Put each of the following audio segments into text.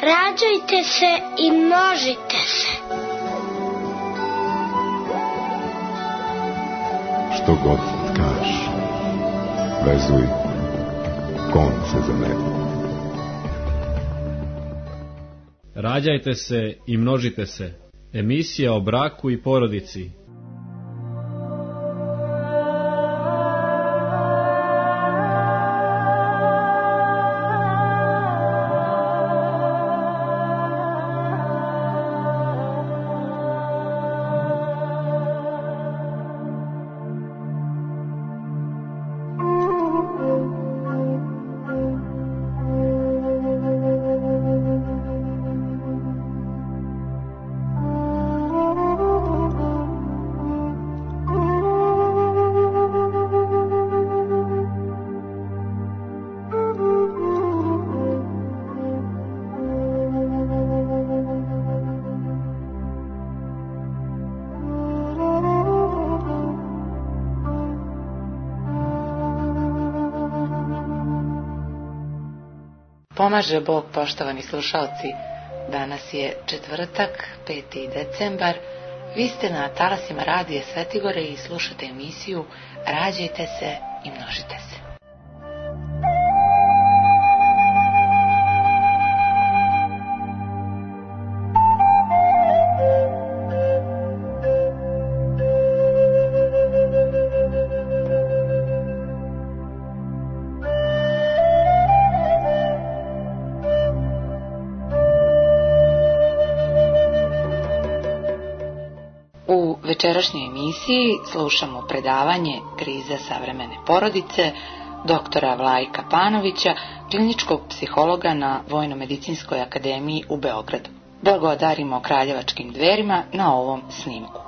Rađajte se i množite se. Što god kažeš, vezuj konce za mene. Rađajte se i množite se. Emisija o braku i porodici. Pomaže Bog, poštovani slušalci. Danas je četvrtak, 5. decembar. Vi ste na talasima Radija Svetigore i slušate emisiju Rađajte se i množite se. U večerašnjoj emisiji slušamo predavanje Kriza savremene porodice doktora Vlajka Panovića, kliničkog psihologa na Vojno-medicinskoj akademiji u Beogradu. Blagodarimo Kraljevačkim dverima na ovom snimku.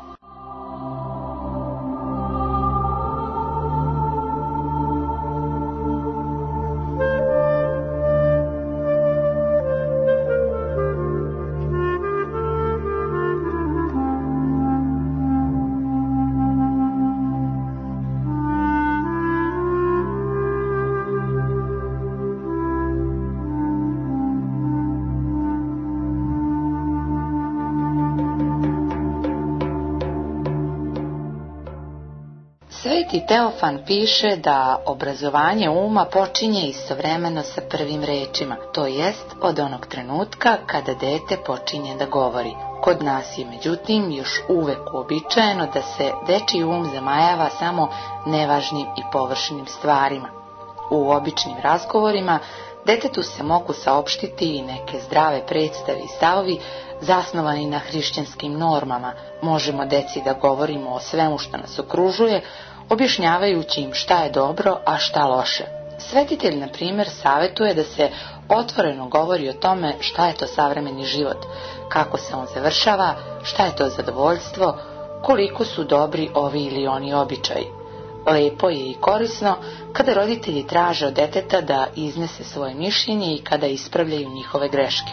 Sveti Teofan piše da obrazovanje uma počinje istovremeno sa prvim rečima, to jest od onog trenutka kada dete počinje da govori. Kod nas je međutim još uvek uobičajeno da se dečiji um zamajava samo nevažnim i površnim stvarima. U običnim razgovorima detetu se mogu saopštiti i neke zdrave predstave i stavovi zasnovani na hrišćanskim normama. Možemo deci da govorimo o svemu što nas okružuje, objašnjavajući im šta je dobro, a šta loše. Svetitelj, na primjer, savjetuje da se otvoreno govori o tome šta je to savremeni život, kako se on završava, šta je to zadovoljstvo, koliko su dobri ovi ili oni običaji. Lepo je i korisno kada roditelji traže od deteta da iznese svoje mišljenje i kada ispravljaju njihove greške.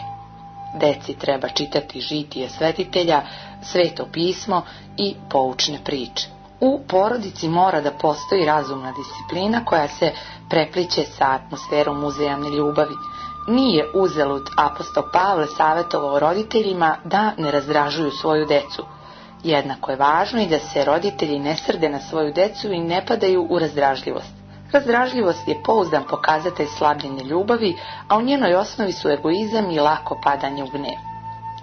Deci treba čitati žitije svetitelja, sveto pismo i poučne priče. U porodici mora da postoji razumna disciplina koja se prepliće sa atmosferom uzajamne ljubavi. Nije uzalud apostol Pavle savjetovao roditeljima da ne razdražuju svoju decu. Jednako je važno i da se roditelji ne srde na svoju decu i ne padaju u razdražljivost. Razdražljivost je pouzdan pokazatelj slabljenja ljubavi, a u njenoj osnovi su egoizam i lako padanje u gnev.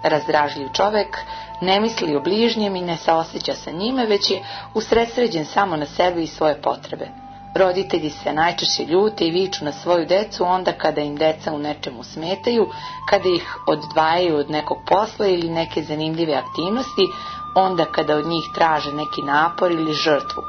Razdražljiv čovek ne misli o bližnjem i ne saoseća sa njime, već je usredsređen samo na sebe i svoje potrebe. Roditelji se najčešće ljute i viču na svoju decu onda kada im deca u nečemu smetaju, kada ih odvajaju od nekog posla ili neke zanimljive aktivnosti, onda kada od njih traže neki napor ili žrtvu.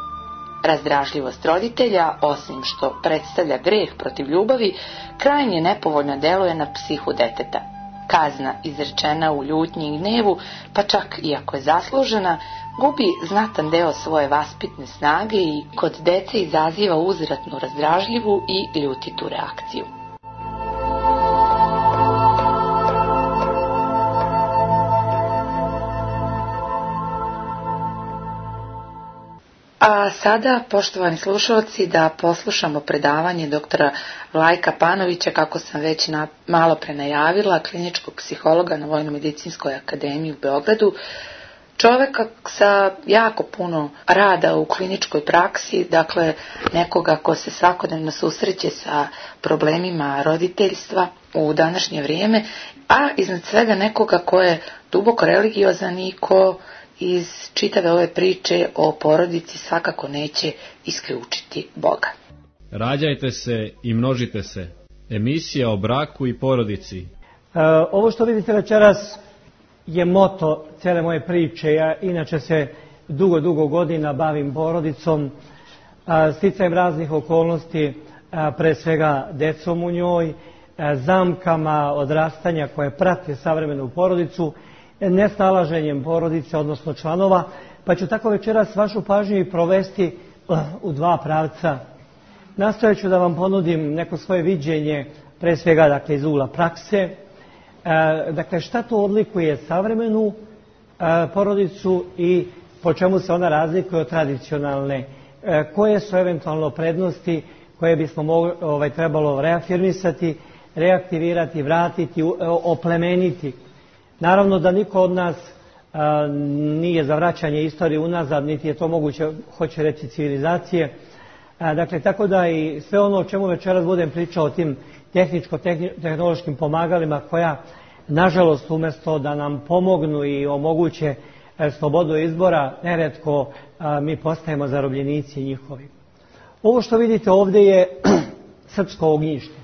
Razdražljivost roditelja, osim što predstavlja greh protiv ljubavi, krajnje nepovoljno deluje na psihu deteta. Kazna izrečena u ljutnji i gnevu, pa čak i ako je zaslužena, gubi znatan deo svoje vaspitne snage i kod dece izaziva uzvratnu razdražljivu i ljutitu reakciju. A sada, poštovani slušalci, da poslušamo predavanje doktora Vlajka Panovića, kako sam već malo pre najavila, kliničkog psihologa na Vojno-medicinskoj akademiji u Beogradu, čoveka sa jako puno rada u kliničkoj praksi, dakle nekoga ko se svakodnevno susreće sa problemima roditeljstva u današnje vrijeme, a iznad svega nekoga ko je duboko religiozan i ko iz čitave ove priče o porodici svakako neće isključiti Boga. Rađajte se i množite se. Emisija o braku i porodici. Ovo što vidite večeras je moto cijele moje priče. Ja inače se dugo godina bavim porodicom, sticajem raznih okolnosti, pre svega decom u njoj, zamkama odrastanja koje prate savremenu porodicu, nesnalaženjem porodice, odnosno članova, pa ću tako večeras vašu pažnju i provesti u dva pravca. Nastojat ću da vam ponudim neko svoje viđenje, pre svega dakle, iz ugla prakse. Dakle, šta to odlikuje savremenu porodicu i po čemu se ona razlikuje od tradicionalne? Koje su eventualno prednosti koje bismo trebalo reafirmisati, reaktivirati, vratiti, oplemeniti? Naravno da niko od nas nije za vraćanje istorije unazad, niti je to moguće, hoće reći, civilizacije. Dakle, tako da i sve ono o čemu večeras budem pričao, o tim tehničko-tehnološkim pomagalima koja, nažalost, umjesto da nam pomognu i omoguće slobodu izbora, neretko mi postajemo zarobljenici njihovi. Ovo što vidite ovdje je srpsko ognjište.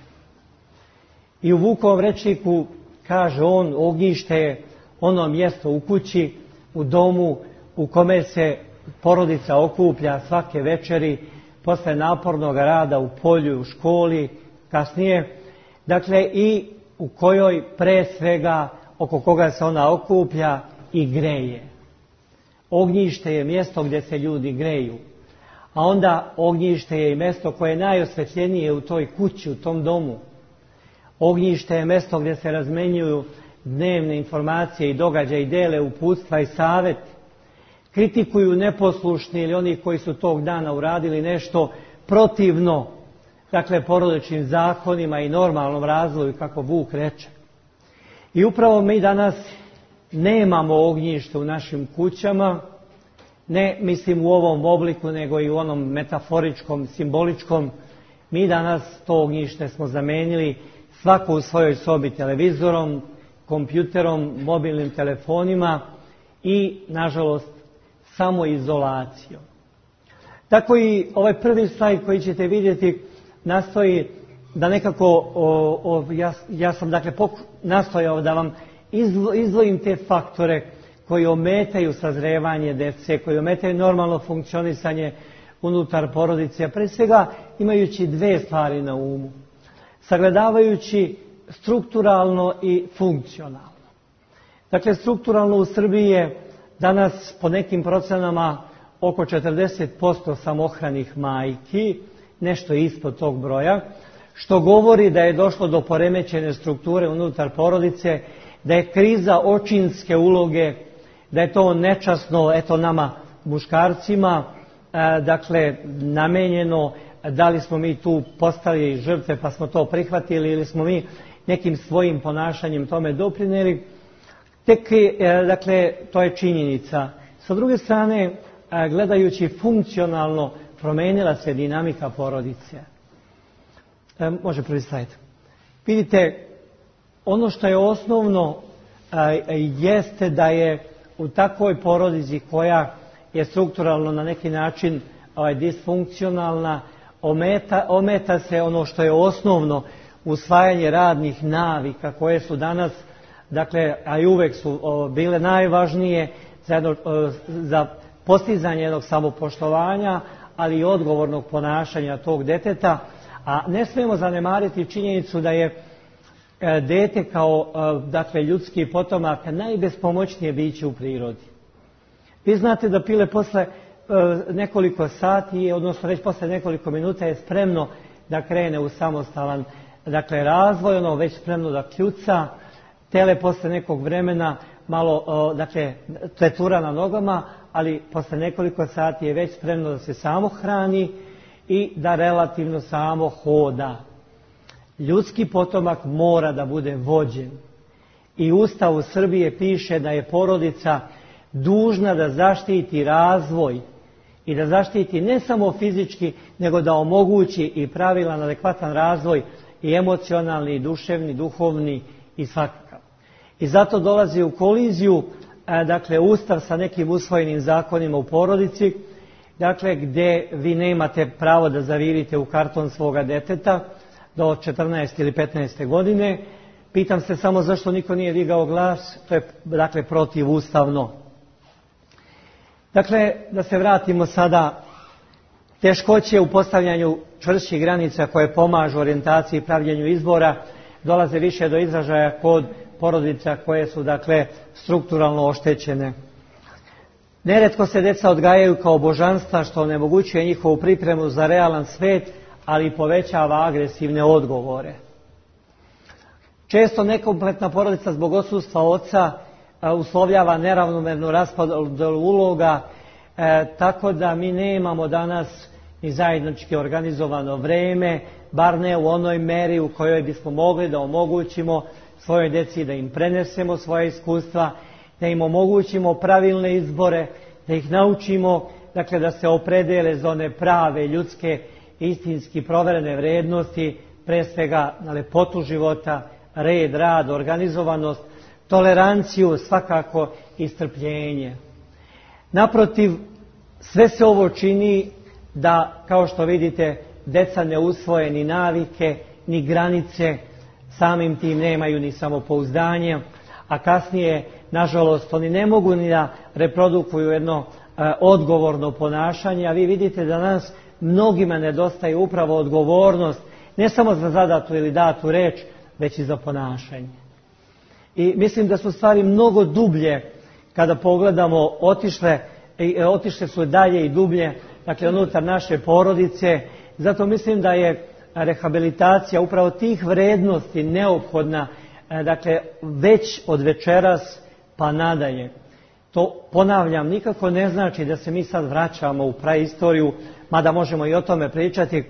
I u Vukovom rečniku kaže on, ognjište je ono mjesto u kući, u domu, u kome se porodica okuplja svake večeri, posle napornog rada u polju, u školi, kasnije. Dakle, i u kojoj pre svega, oko koga se ona okuplja i greje. Ognjište je mjesto gdje se ljudi greju. A onda ognjište je i mjesto koje je najosvetljenije u toj kući, u tom domu. Ognjište je mjesto gdje se razmenjuju dnevne informacije i događaje i dele uputstva i savjet. Kritikuju neposlušni ili oni koji su tog dana uradili nešto protivno, dakle, porodičnim zakonima i normalnom razvoju, kako Vuk reče. I upravo mi danas nemamo ognjište u našim kućama, ne mislim u ovom obliku, nego i u onom metaforičkom, simboličkom. Mi danas to ognjište smo zamenili svako u svojoj sobi televizorom, kompjuterom, mobilnim telefonima i, nažalost, samoizolacijom. Tako i ovaj prvi slajd koji ćete vidjeti nastoji da nekako, ja sam dakle nastojao da vam izdvojim te faktore koji ometaju sazrevanje djece, koji ometaju normalno funkcionisanje unutar porodice, a pre svega imajući dve stvari na umu. Sagledavajući strukturalno i funkcionalno. Dakle, strukturalno u Srbiji je danas po nekim procenama oko 40% samohranih majki, nešto ispod tog broja, što govori da je došlo do poremećene strukture unutar porodice, da je kriza očinske uloge, da je to nečasno, eto nama muškarcima, dakle namenjeno, da li smo mi tu postali žrtve pa smo to prihvatili ili smo mi nekim svojim ponašanjem tome doprinijeli. Tek, dakle, to je činjenica. Sa druge strane, gledajući funkcionalno, promijenila se dinamika porodice. Može prvi slajd. Vidite, ono što je osnovno jeste da je u takvoj porodici koja je strukturalno na neki način disfunkcionalna, ometa se ono što je osnovno, usvajanje radnih navika koje su danas, dakle, a i uvek su bile najvažnije za postizanje jednog samopoštovanja, ali i odgovornog ponašanja tog deteta. A ne smijemo zanemariti činjenicu da je dete kao, dakle, ljudski potomak najbespomoćnije biće u prirodi. Vi znate da pile posle nekoliko sati, odnosno već posle nekoliko minuta je spremno da krene u samostalan, dakle, razvoj, ono već spremno da kljuca. Tele posle nekog vremena malo, dakle, tetura na nogama, ali posle nekoliko sati je već spremno da se samo hrani i da relativno samo hoda. Ljudski potomak mora da bude vođen. I u Ustavu Srbije piše da je porodica dužna da zaštiti razvoj i da zaštiti ne samo fizički, nego da omogući i pravilan, adekvatan razvoj i emocionalni, i duševni, duhovni i svakakav. I zato dolazi u koliziju, dakle, Ustav sa nekim usvojenim zakonima u porodici, dakle, gdje vi nemate pravo da zavirite u karton svoga deteta do 14 ili 15. godine. Pitam se samo zašto niko nije digao glas, to je, dakle, protivustavno. Dakle, da se vratimo sada, teškoće u postavljanju čvršćih granica koje pomažu orijentaciji i pravljenju izbora dolaze više do izražaja kod porodica koje su, dakle, strukturalno oštećene. Neretko se deca odgajaju kao božanstva, što onemogućuje njihovu pripremu za realan svet, ali povećava agresivne odgovore. Često nekompletna porodica zbog odsustva oca uslovljava neravnomernu raspodelu uloga, tako da mi nemamo danas ni zajednički organizovano vreme, bar ne u onoj meri u kojoj bismo mogli da omogućimo svojoj djeci da im prenesemo svoje iskustva, da im omogućimo pravilne izbore, da ih naučimo, dakle, da se opredele za one prave, ljudske, istinski proverene vrednosti, pre svega na lepotu života, red, rad, organizovanost, toleranciju, svakako i strpljenje. Naprotiv, sve se ovo čini da, kao što vidite, deca ne usvoje ni navike, ni granice, samim tim nemaju ni samopouzdanje, a kasnije, nažalost, oni ne mogu ni da reprodukuju jedno odgovorno ponašanje, a vi vidite da nas mnogima nedostaje upravo odgovornost, ne samo za zadatu ili datu reč, već i za ponašanje. I mislim da su stvari mnogo dublje, kada pogledamo, otišle su dalje i dublje, dakle, unutar naše porodice. Zato mislim da je rehabilitacija upravo tih vrednosti neophodna, dakle, već od večeras pa nadalje. To, ponavljam, nikako ne znači da se mi sad vraćamo u praistoriju, mada možemo i o tome pričati.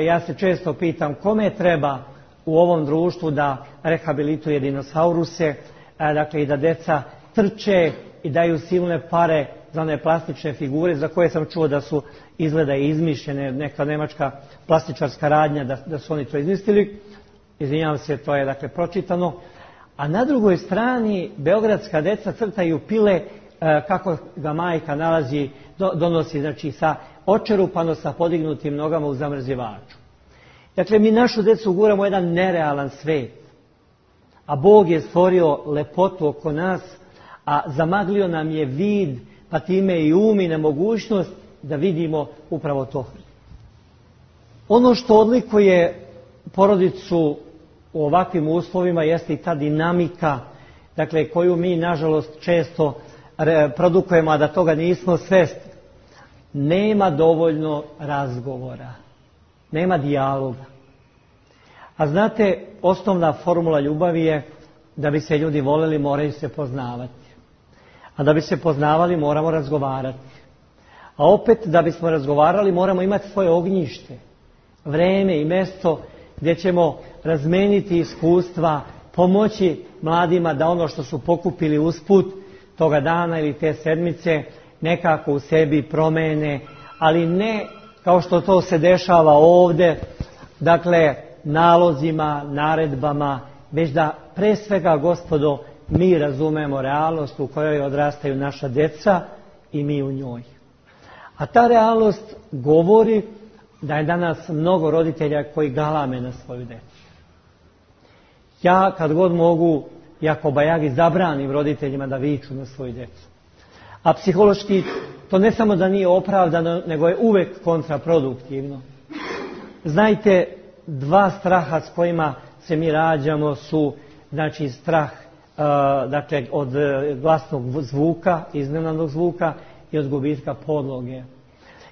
Ja se često pitam kome treba u ovom društvu da rehabilituje dinosauruse, dakle, i da deca trče i daju silne pare za one plastične figure za koje sam čuo da su izgleda izmišljene, neka nemačka plastičarska radnja da su oni to izmislili. Izvinjavam se, to je, dakle, pročitano. A na drugoj strani beogradska deca crtaju pile kako ga majka donosi, znači, sa očerupano sa podignutim nogama u zamrzivaču. Dakle, mi našu decu guramo u jedan nerealan svet, a Bog je stvorio lepotu oko nas, a zamaglio nam je vid, pa time i um i nemogućnost da vidimo upravo to. Ono što odlikuje porodicu u ovakvim uslovima jeste i ta dinamika, dakle, koju mi, nažalost, često produkujemo, a da toga nismo svesni. Nema dovoljno razgovora, nema dijaloga. A znate, osnovna formula ljubavi je da bi se ljudi voljeli, moraju se poznavati. A da bi se poznavali, moramo razgovarati. A opet, da bismo razgovarali, moramo imati svoje ognjište, vreme i mjesto gdje ćemo razmeniti iskustva, pomoći mladima da ono što su pokupili usput toga dana ili te sedmice nekako u sebi promene, ali ne kao što to se dešava ovdje, dakle, nalozima, naredbama, već da pre svega, gospodo, mi razumemo realnost u kojoj odrastaju naša djeca i mi u njoj. A ta realnost govori da je danas mnogo roditelja koji galame na svoju djecu. Ja, kad god mogu, jako bajagi, zabranim roditeljima da viču na svoju djecu. A psihološki to ne samo da nije opravdano, nego je uvek kontraproduktivno. Znajte, dva straha s kojima se mi rađamo su, znači, strah dakle, od glasnog zvuka, iznenadnog zvuka i od gubitka podloge.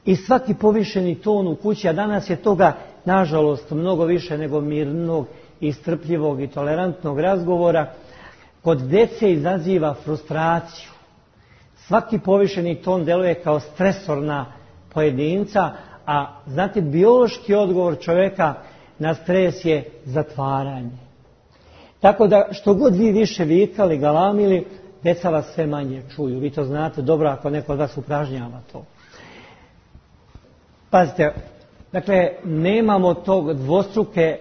I svaki povišeni ton u kući, a danas je toga, nažalost, mnogo više nego mirnog i strpljivog i tolerantnog razgovora, kod djece izaziva frustraciju, Svaki povišeni ton deluje kao stresor na pojedinca, a znate, biološki odgovor čovjeka na stres je zatvaranje. Tako da što god vi više vikali, galamili, deca vas sve manje čuju. Vi to znate dobro ako neko od vas upražnjava to. Pazite, dakle, nemamo tog dvostruke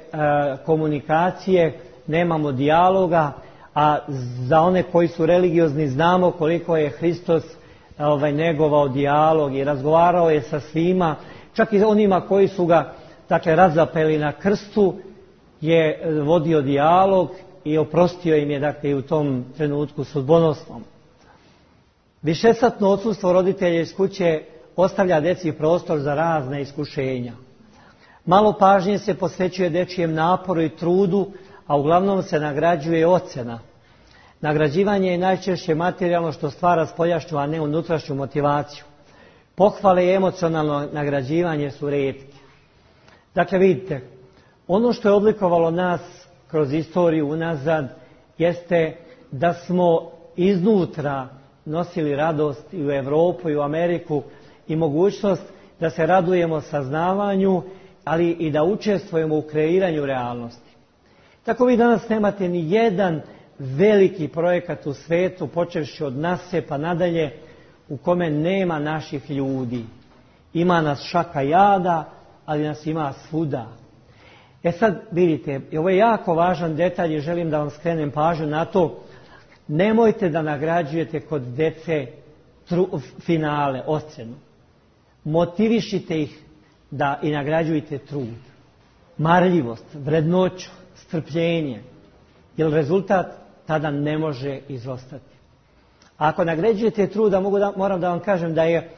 komunikacije, nemamo dijaloga, a za one koji su religiozni znamo koliko je Hristos negovao dijalog i razgovarao je sa svima, čak i onima koji su ga razapeli na krstu je vodio dijalog i oprostio im je i u tom trenutku sudbonosnom. Višesatno odsustvo roditelja iz kuće ostavlja deci prostor za razne iskušenja. Malo pažnje se posvećuje dečijem naporu i trudu, a uglavnom se nagrađuje ocjena. Nagrađivanje je najčešće materijalno što stvara spoljašnju, a ne unutrašnju motivaciju. Pohvale i emocionalno nagrađivanje su rijetke. Dakle, vidite, ono što je oblikovalo nas kroz istoriju unazad jeste da smo iznutra nosili radost i u Europu i u Ameriku i mogućnost da se radujemo saznavanju, ali i da učestvujemo u kreiranju realnosti. Tako vi danas nemate ni jedan veliki projekat u svijetu, počevši od NASA pa nadalje, u kome nema naših ljudi. Ima nas šaka jada, ali nas ima svuda. Sad vidite, ovo je jako važan detalj i želim da vam skrenem pažnju na to. Nemojte da nagrađujete kod dece finale, ocjenu. Motivišite ih da i nagrađujete trud, marljivost, vrednoću, strpljenje, jer rezultat tada ne može izostati. A ako nagrađujete trud, moram da vam kažem da je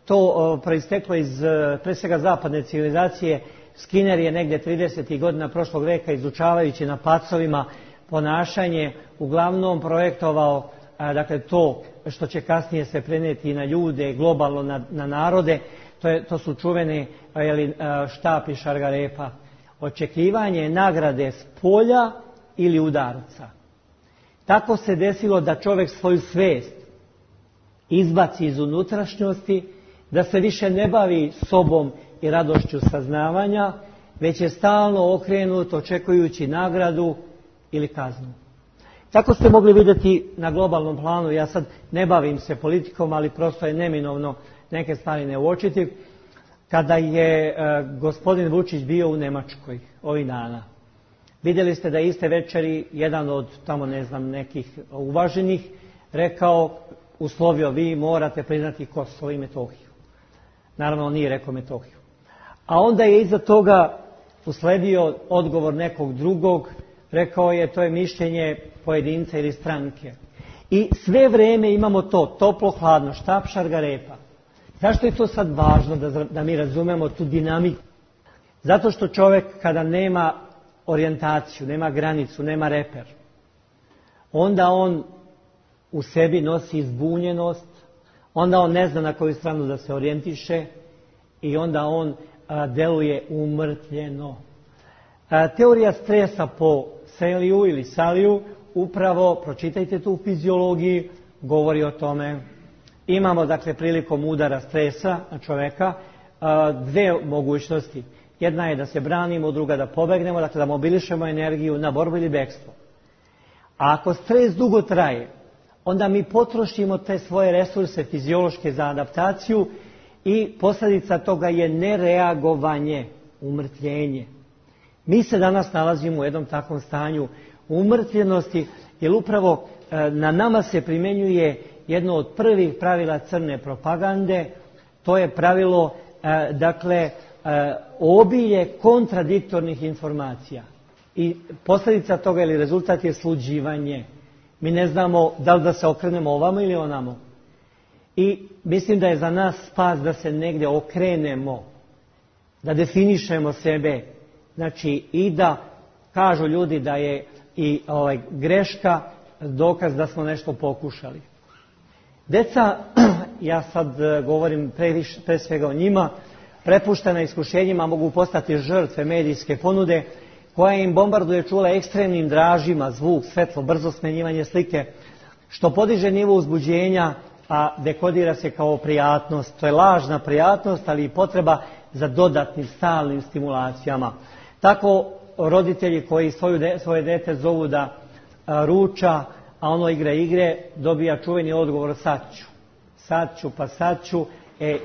to proisteklo iz pre svega zapadne civilizacije. Skinner je negdje 30. godina prošlog veka, izučavajući na pacovima ponašanje, uglavnom projektovao to što će kasnije se prenijeti i na ljude, globalno na narode. To su čuvene štap i šargarepa. Očekivanje nagrade s polja ili udarca. Tako se desilo da čovjek svoju svijest izbaci iz unutrašnjosti, da se više ne bavi sobom i radošću saznavanja, već je stalno okrenut očekujući nagradu ili kaznu. Tako ste mogli vidjeti na globalnom planu. Ja sad ne bavim se politikom, ali prosto je neminovno neke stvari ne uočiti. Kada je gospodin Vučić bio u Njemačkoj ovih dana, vidjeli ste da iste večeri jedan od tamo nekih uvaženih rekao, uslovio, vi morate priznati Kosovo i Metohiju. Naravno, on nije rekao Metohiju. A onda je iza toga usledio odgovor nekog drugog, rekao je, to je mišljenje pojedinca ili stranke. I sve vrijeme imamo to, toplo, hladno, štap, šargarepa. Zašto je to sad važno da mi razumemo tu dinamiku? Zato što čovjek kada nema orijentaciju, nema granicu, nema reper, onda on u sebi nosi zbunjenost, onda on ne zna na koju stranu da se orijentiše i onda on deluje umrtvljeno. Teorija stresa po Seliju ili Saliju, upravo, pročitajte tu u fiziologiji, govori o tome. Imamo, dakle, prilikom udara stresa na čovjeka dve mogućnosti. Jedna je da se branimo, druga da pobegnemo, dakle da mobilišemo energiju na borbu ili bekstvo. A ako stres dugo traje, onda mi potrošimo te svoje resurse fiziološke za adaptaciju i posljedica toga je nereagovanje, umrtvljenje. Mi se danas nalazimo u jednom takvom stanju umrtvljenosti, jer upravo na nama se primjenjuje jedno od prvih pravila crne propagande, to je pravilo, obilje kontradiktornih informacija. I posljedica toga ili rezultat je sluđivanje. Mi ne znamo da li da se okrenemo ovamo ili onamo. I mislim da je za nas spas da se negdje okrenemo, da definišemo sebe. Znači i da kažu ljudi da je i greška dokaz da smo nešto pokušali. Deca, ja sad govorim pre svega o njima, prepuštena iskušenjima mogu postati žrtve medijske ponude koja im bombarduje čula ekstremnim dražima, zvuk, svetlo, brzo smenjivanje slike, što podiže nivo uzbuđenja, a dekodira se kao prijatnost. To je lažna prijatnost, ali i potreba za dodatnim stalnim stimulacijama. Tako roditelji koji svoje dete zovu da ruča, a ono igra igre, dobija čuveni odgovor sad ću.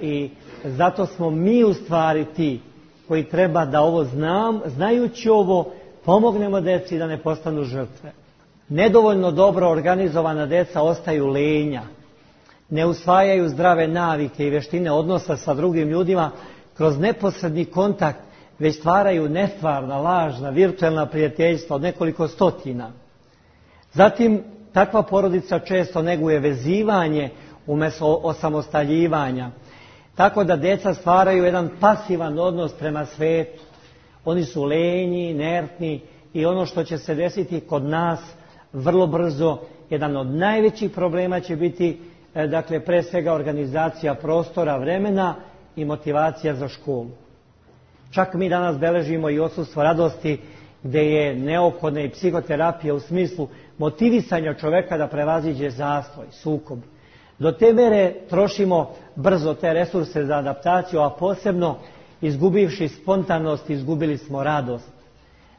I zato smo mi u stvari ti koji treba da ovo znajući ovo, pomognemo deci da ne postanu žrtve. Nedovoljno dobro organizovana deca ostaju lenja, ne usvajaju zdrave navike i vještine odnosa sa drugim ljudima kroz neposredni kontakt, već stvaraju nestvarna, lažna, virtualna prijateljstva od nekoliko stotina. Zatim, takva porodica često neguje vezivanje umjesto osamostaljivanja, tako da djeca stvaraju jedan pasivan odnos prema svetu. Oni su lenji, inertni i ono što će se desiti kod nas vrlo brzo, jedan od najvećih problema će biti, dakle, pre svega organizacija prostora, vremena i motivacija za školu. Čak mi danas beležimo i odsustvo radosti, gdje je neophodna i psihoterapija u smislu motivisanja čoveka da prevaziđe zastoj, sukob. Do te mere trošimo brzo te resurse za adaptaciju, a posebno izgubivši spontanost, izgubili smo radost.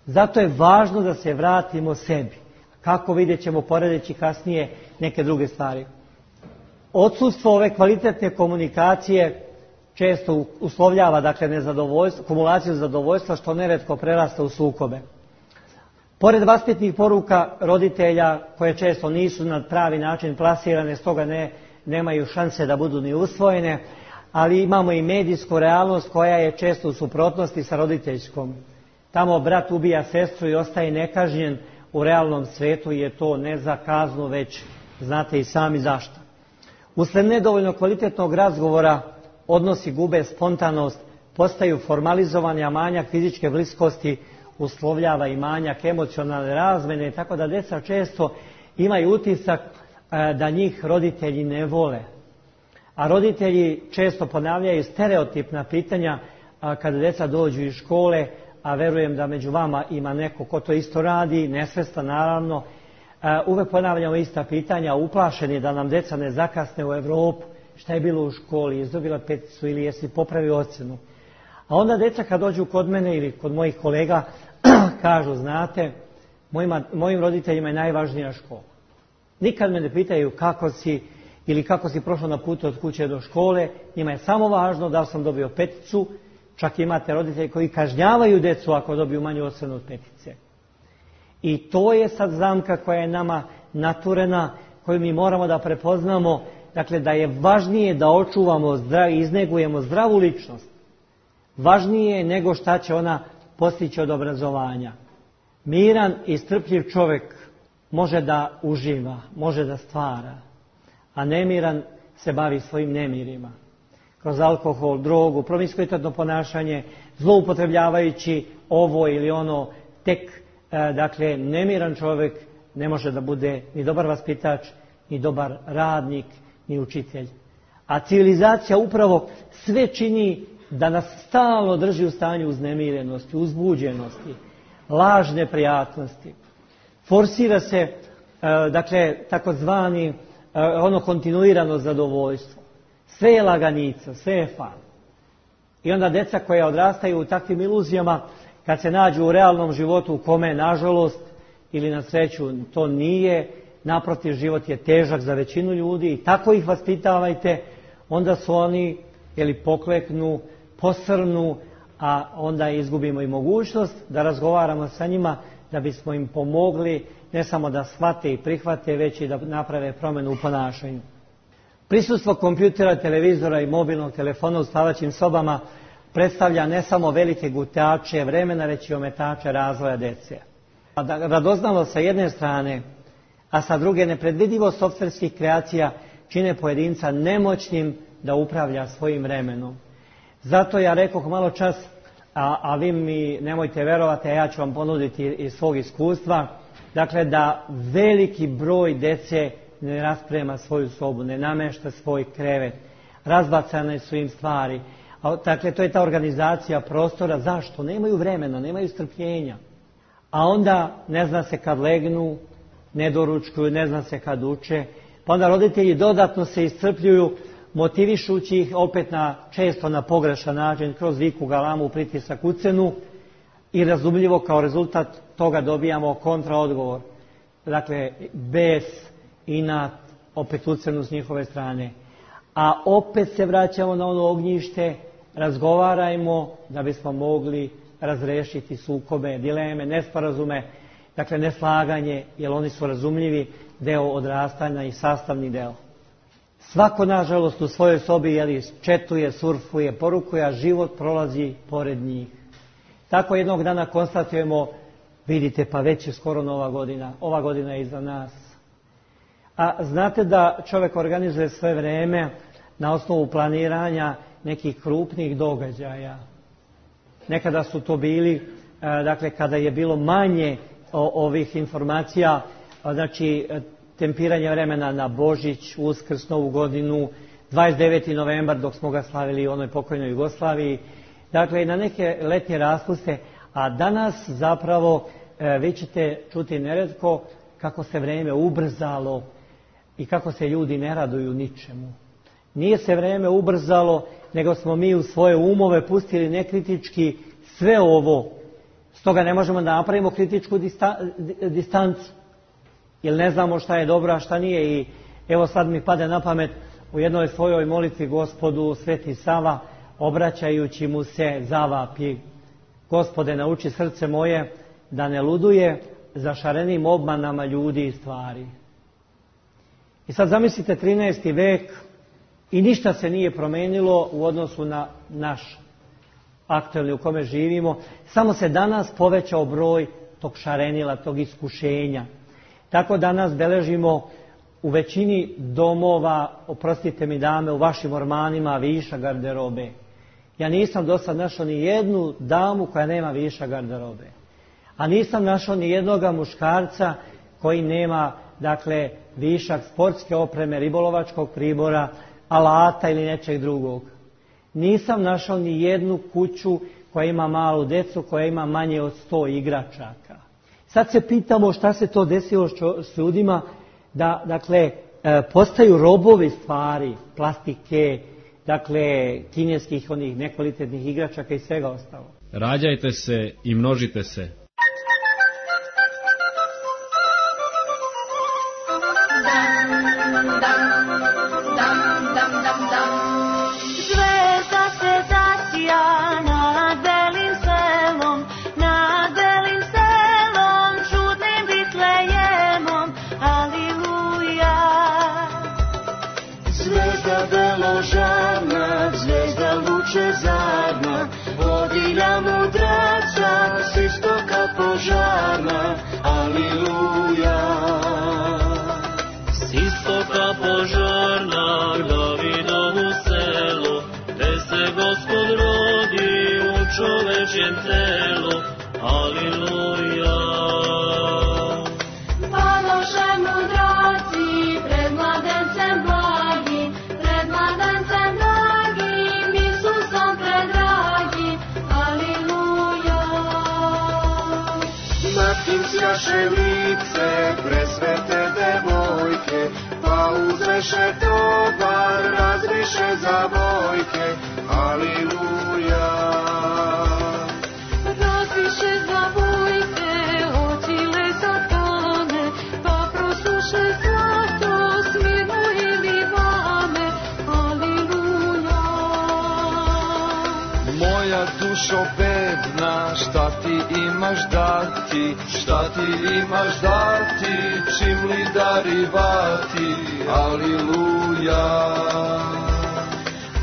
Zato je važno da se vratimo sebi. Kako vidjet ćemo poredeći kasnije neke druge stvari. Odsustvo ove kvalitetne komunikacije često uslovljava, dakle, nezadovoljstvo, kumulaciju zadovoljstva, što neretko prerasta u sukobe. Pored vaspitnih poruka roditelja, koje često nisu na pravi način plasirane, stoga nemaju šanse da budu ni usvojene, ali imamo i medijsku realnost koja je često u suprotnosti sa roditeljskom. Tamo brat ubija sestru i ostaje nekažnjen, u realnom svetu je to ne za kaznu, već znate i sami zašto. Usled nedovoljno kvalitetnog razgovora odnosi gube spontanost, postaju formalizovani, a manjak fizičke bliskosti uslovljava i manjak emocionalne razmene, tako da djeca često imaju utisak da njih roditelji ne vole. A roditelji često ponavljaju stereotipna pitanja kada djeca dođu iz škole, a verujem da među vama ima neko ko to isto radi, nesvestan naravno. Uvek ponavljamo ista pitanja, uplašeni da nam djeca ne zakasne u Europu. Šta je bilo u školi, izdobila peticu ili jesi popravio ocjenu. A onda djeca kad dođu kod mene ili kod mojih kolega kažu, znate, mojim roditeljima je najvažnija škola. Nikad me ne pitaju kako si ili kako si prošao na putu od kuće do škole, njima je samo važno da sam dobio peticu. Čak imate roditelji koji kažnjavaju djecu ako dobiju manju ocjenu od petice. I to je sad zamka koja je nama naturena, koju mi moramo da prepoznamo, dakle da je važnije da očuvamo i iznegujemo zdravu ličnost. Važnije nego šta će ona postići od obrazovanja. Miran i strpljiv čovjek može da uživa, može da stvara, a nemiran se bavi svojim nemirima. Kroz alkohol, drogu, promiskuitetno ponašanje, zloupotrebljavajući ovo ili ono, dakle, nemiran čovjek ne može da bude ni dobar vaspitač, ni dobar radnik, ni učitelj. A civilizacija upravo sve čini da nas stalno drži u stanju uznemirenosti, uzbuđenosti, lažne prijatnosti. Forsira se, dakle, takozvani kontinuirano zadovoljstvo. Sve je laganica, sve je fan. I onda djeca koja odrastaju u takvim iluzijama, kad se nađu u realnom životu u kome, nažalost, ili na sreću, to nije, naprotiv, život je težak za većinu ljudi i tako ih vaspitavajte, onda su oni, pokleknu, posrnu, a onda izgubimo i mogućnost da razgovaramo sa njima, da bismo im pomogli, ne samo da shvate i prihvate, već i da naprave promjenu u ponašanju. Prisustvo kompjutera, televizora i mobilnog telefona u spavaćim sobama predstavlja ne samo velike gutače vremena, već i ometače razvoja djece. Radoznalost sa jedne strane, a sa druge nepredvidivo softverskih kreacija čine pojedinca nemoćnim da upravlja svojim vremenom. Zato ja rekoh malo čas, a vi mi nemojte verovati, a ja ću vam ponuditi iz svog iskustva, dakle da veliki broj djece ne rasprema svoju sobu, ne namešta svoj krevet, razbacane su im stvari. Dakle, to je ta organizacija prostora. Zašto? Nemaju vremena, nemaju strpljenja. A onda ne zna se kad legnu, ne doručkuju, ne zna se kad uče, Pa onda roditelji dodatno se iscrpljuju, motivišući ih opet često na pogrešan način, kroz viku, galamu, pritisak, ucenu, i razumljivo kao rezultat toga dobijamo kontraodgovor. Dakle, bes, inat, opet ucenu s njihove strane. A opet se vraćamo na ono ognjište, razgovarajmo da bismo mogli razrešiti sukobe, dileme, nesporazume, dakle neslaganje, jer oni su razumljivi deo odrastanja i sastavni deo. Svako, nažalost, u svojoj sobi četuje, surfuje, porukuje, a život prolazi pored njih. Tako jednog dana konstatujemo, vidite, pa već je skoro Nova godina, ova godina je iza nas. A znate da čovjek organizuje sve vreme na osnovu planiranja nekih krupnih događaja. Nekada su to bili, dakle, kada je bilo manje ovih informacija, znači tempiranje vremena na Božić, Uskrs, Novu godinu, 29. novembar dok smo ga slavili u onoj pokojnoj Jugoslaviji, dakle i na neke letnje raspuste, a danas zapravo vi ćete čuti neretko kako se vrijeme ubrzalo i kako se ljudi ne raduju ničemu. Nije se vrijeme ubrzalo, nego smo mi u svoje umove pustili nekritički sve ovo. Stoga ne možemo da napravimo kritičku distancu, jer ne znamo šta je dobro, a šta nije. I evo sad mi pade na pamet u jednoj svojoj molitvi Gospodu Sveti Sava, obraćajući mu se, zavapi: Gospode, nauči srce moje da ne luduje za šarenim obmanama ljudi i stvari. I sad zamislite 13. vek i ništa se nije promenilo u odnosu na naš aktualni u kome živimo. Samo se danas povećao broj tog šarenila, tog iskušenja. Tako danas beležimo u većini domova, oprostite mi dame, u vašim ormanima viša garderobe. Ja nisam do sad našao ni jednu damu koja nema viša garderobe. A nisam našao ni jednoga muškarca koji nema, dakle, višak sportske opreme, ribolovačkog pribora, alata ili nečeg drugog. Nisam našao ni jednu kuću koja ima malu decu, koja ima manje od 100 igračaka. Sad se pitamo šta se to desilo s ljudima da, dakle, postaju robovi stvari, plastike, dakle, kineskih onih nekvalitetnih igračaka i svega ostalo. Rađajte se i množite se. Zvezda se zasija nad belim selom, nad belim selom, čudnim Bitlejemom, aleluja. Zvezda beložarna, zvezda lučezarna, vodilja mudraca, s istoka požarna, aleluja. S istoka požarna, Davidovu selo, gde se Gospod rodi u čovečjem telu, aleluja. Paloše mudraci pred mladencem blagim, pred mladencem blagim, Isusom predragim, aleluja. Nad kim sjaše lice presvete devojke, pa uzveše tovar, razviše zavojke, aleluja. Razviše zavojke, otile satane, pa prosuše zlato, smirnu i livane, aleluja. Moja dušo bedna, šta ti imaš dati, šta ti imaš dati, čim li darivati, aleluja.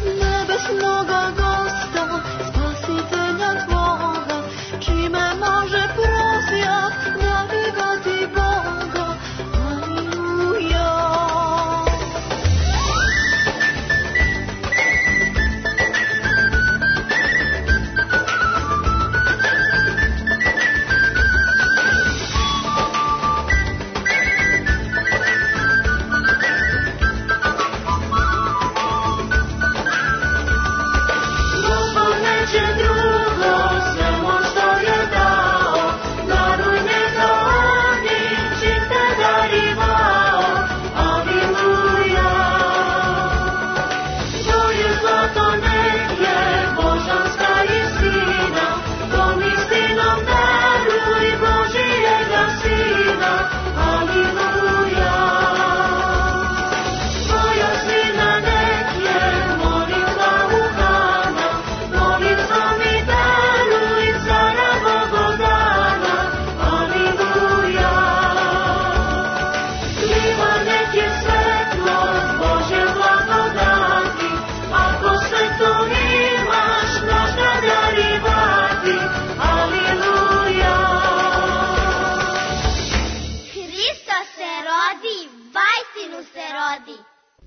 Nebesnoga Gosta, spasitelja tvoga, čime može prosjak darivati Boga, aleluja.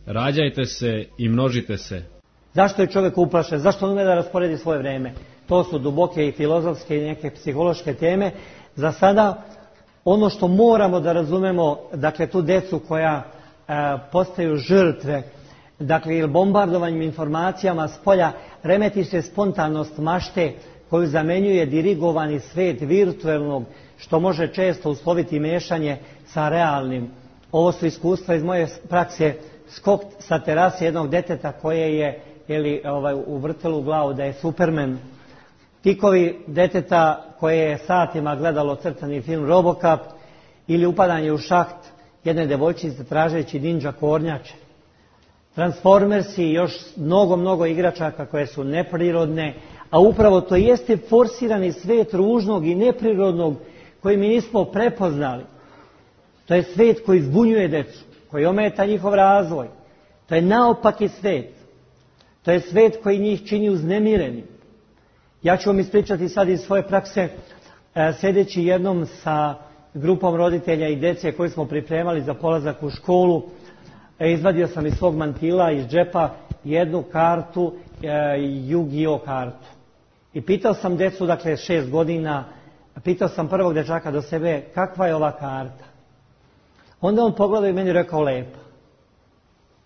Rađajte se i množite se. Zašto je čovjek uplašen? Zašto on ume da rasporedi svoje vrijeme? To su duboke i filozofske i neke psihološke teme. Za sada ono što moramo da razumemo, dakle tu decu koja postaju žrtve, dakle ili bombardovanjem informacijama s polja, remeti se spontanost mašte koju zamenjuje dirigovani svet virtualnog, što može često usloviti mešanje sa realnim. Ovo su iskustva iz moje prakse, skok sa terase jednog deteta koje je uvrtelo u glavu da je Superman. Tikovi deteta koje je satima gledalo crtani film Robocop ili upadanje u šaht jedne devojčice tražeći ninja kornjače. Transformersi i još mnogo igračaka koje su neprirodne, a upravo to jeste forsirani svet ružnog i neprirodnog koji mi nismo prepoznali. To je svet koji zbunjuje decu, koji ometa njihov razvoj. To je naopaki svet. To je svet koji njih čini uznemirenim. Ja ću vam ispričati sad iz svoje prakse, sjedeći jednom sa grupom roditelja i djece koji smo pripremali za polazak u školu, izvadio sam iz svog mantila, iz džepa, jednu kartu, Yu-Gi-Oh kartu. I pitao sam djecu, dakle 6 godina, pitao sam prvog dječaka do sebe, kakva je ova karta? Onda on pogledao i meni rekao lepa.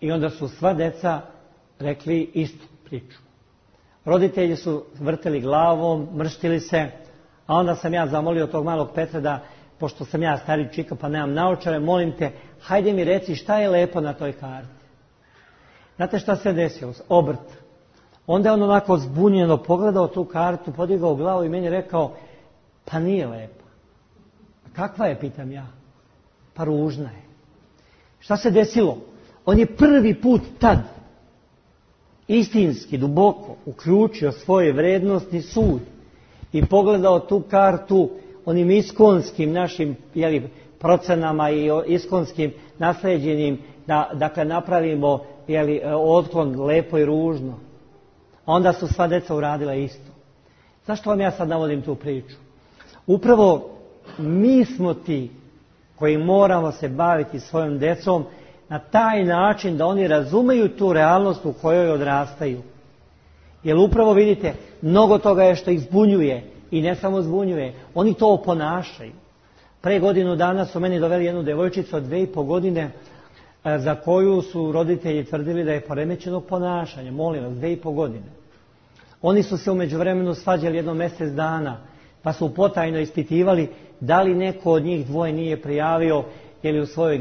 I onda su sva djeca rekli istu priču. Roditelji su vrteli glavom, mrštili se, a onda sam ja zamolio tog malog Petra da, pošto sam ja stari čika pa nemam naočare, molim te, hajde mi reci šta je lepo na toj karti. Znate šta se desilo? Obrt. Onda je on onako zbunjeno pogledao tu kartu, podigao glavu i meni rekao, pa nije lepa. Kakva je, pitam ja? Pa ružna je. Šta se desilo? On je prvi put tad istinski, duboko uključio svoj vrednostni sud i pogledao tu kartu onim iskonskim našim procenama i iskonskim nasleđenim da dakle napravimo otklon lepo i ružno. A onda su sva djeca uradila isto. Zašto vam ja sad navodim tu priču? Upravo mi smo ti koji moramo se baviti svojom djecom na taj način da oni razumeju tu realnost u kojoj odrastaju. Jer upravo vidite, mnogo toga je što ih zbunjuje i ne samo zbunjuje, oni to oponašaju. Pre godinu dana su meni doveli jednu devojčicu od 2,5 godine za koju su roditelji tvrdili da je poremećenog ponašanja. Molim vas, 2,5 godine. Oni su se u međuvremenu svađali jedno mjesec dana, pa su potajno ispitivali da li neko od njih dvoje nije prijavio ili u svojoj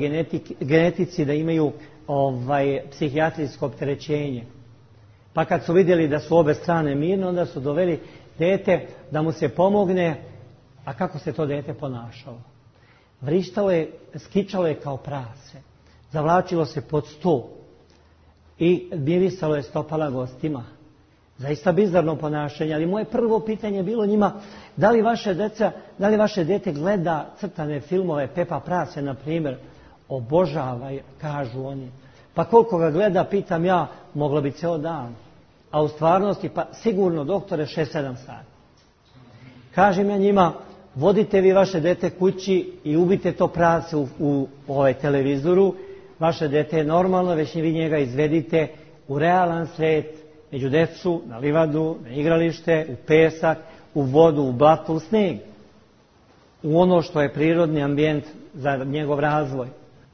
genetici da imaju psihijatrijsko opterećenje. Pa kad su vidjeli da su obe strane mirne, onda su doveli dete da mu se pomogne, a kako se to dete ponašalo? Vrištalo je, skičalo je kao prase, zavlačilo se pod sto i mirisalo je stopala gostima. Zaista bizarno ponašanje, ali moje prvo pitanje je bilo njima, da li vaše dete gleda crtane filmove Pepa Prase, na primjer, obožava, kažu oni. Pa koliko ga gleda, pitam ja, moglo bi ceo dan. A u stvarnosti, pa sigurno, doktore, 6-7 sati. Kažem ja njima, vodite vi vaše dete kući i ubite to prase u televizoru. Vaše dete je normalno, već vi njega izvedite u realan svet, među decu, na livadu, na igralište, u pesak, u vodu, u blato, u sneg. U ono što je prirodni ambijent za njegov razvoj.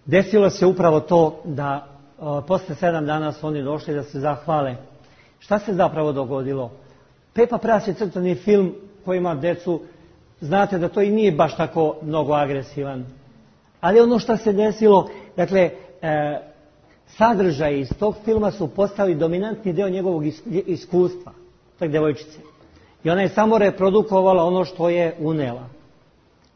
Desilo se upravo to da posle 7 dana su oni došli da se zahvale. Šta se zapravo dogodilo? Pepa Pras je crtani film koji ima decu, znate da to i nije baš tako mnogo agresivan. Ali ono što se desilo, dakle, sadržaji iz tog filma su postali dominantni dio njegovog iskustva, tak devojčice. I ona je samo reprodukovala ono što je unela.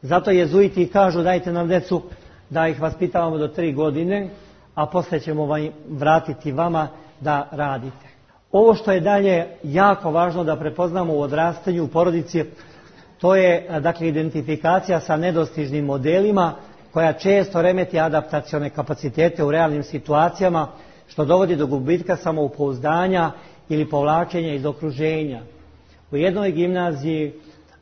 Zato jezuiti kažu, dajte nam decu da ih vaspitavamo do 3 godine, a poslije ćemo vratiti vama da radite. Ovo što je dalje jako važno da prepoznamo u odrastanju u porodici, to je dakle identifikacija sa nedostižnim modelima koja često remeti adaptacione kapacitete u realnim situacijama, što dovodi do gubitka samopouzdanja ili povlačenja iz okruženja. U jednoj gimnaziji